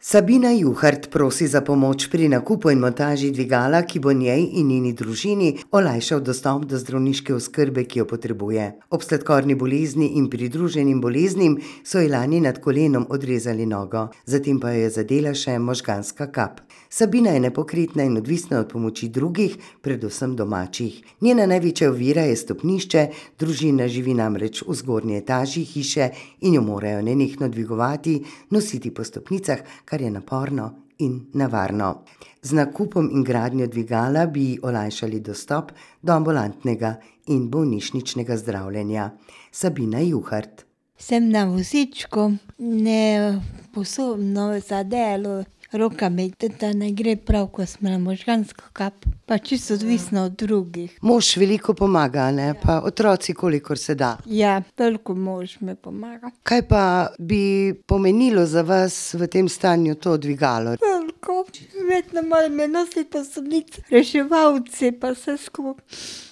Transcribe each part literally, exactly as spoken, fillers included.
Sabina Juhart prosi za pomoč pri nakupu in montaži dvigala, ki bo njej in njeni družini olajšal dostop do zdravniške oskrbe, ki jo potrebuje. Ob sladkorni bolezni in pridruženim boleznim so ji lani nad kolenom odrezali nogo, zatem pa jo je zadela še možganska kap. Sabina je nepokretna in odvisna od pomoči drugih, predvsem domačih. Njena največja ovira je stopnišče, družina živi namreč v zgornji etaži hiše in jo morajo nenehno dvigovati, nositi po stopnicah, kar je naporno in nevarno. Z nakupom in gradnjo dvigala bi olajšali dostop do ambulantnega in bolnišničnega zdravljenja. Sabina Juhart. Sem na vozičku, ne sposobna za delo, roka mi da ne gre prav, ko sem imela možgansko kap, pa čisto odvisna od drugih. Mož veliko pomaga, ne? Pa otroci, kolikor se da. Ja, toliko mož mi pomaga. Kaj pa bi pomenilo za vas v tem stanju to dvigalo? Veliko, vedno moram me nositi po stopnicah, reševalci pa vse skupaj.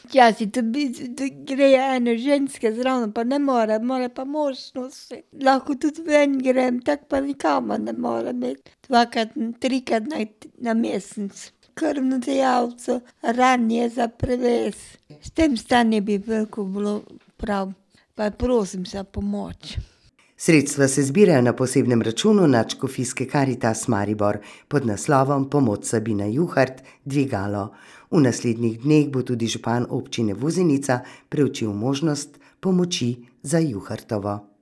Včasih tudi grejo ene ženske zraven, pa ne more, mora pa mož nositi. Lahko tudi ven grem, tako pa nikamor ne morem iti. Dvakrat, trikrat na, na mesec. Krvno dejavco, ranje za prevez. S tem stanjem bi veliko bilo prav, pa prosim za pomoč. Sredstva se zbirajo na posebnem računu Nadškofijske Karitas Maribor pod naslovom Pomoč Sabina Juhart dvigalo. V naslednjih dneh bo tudi župan občine Vuzenica preučil možnost pomoči za Juhartovo.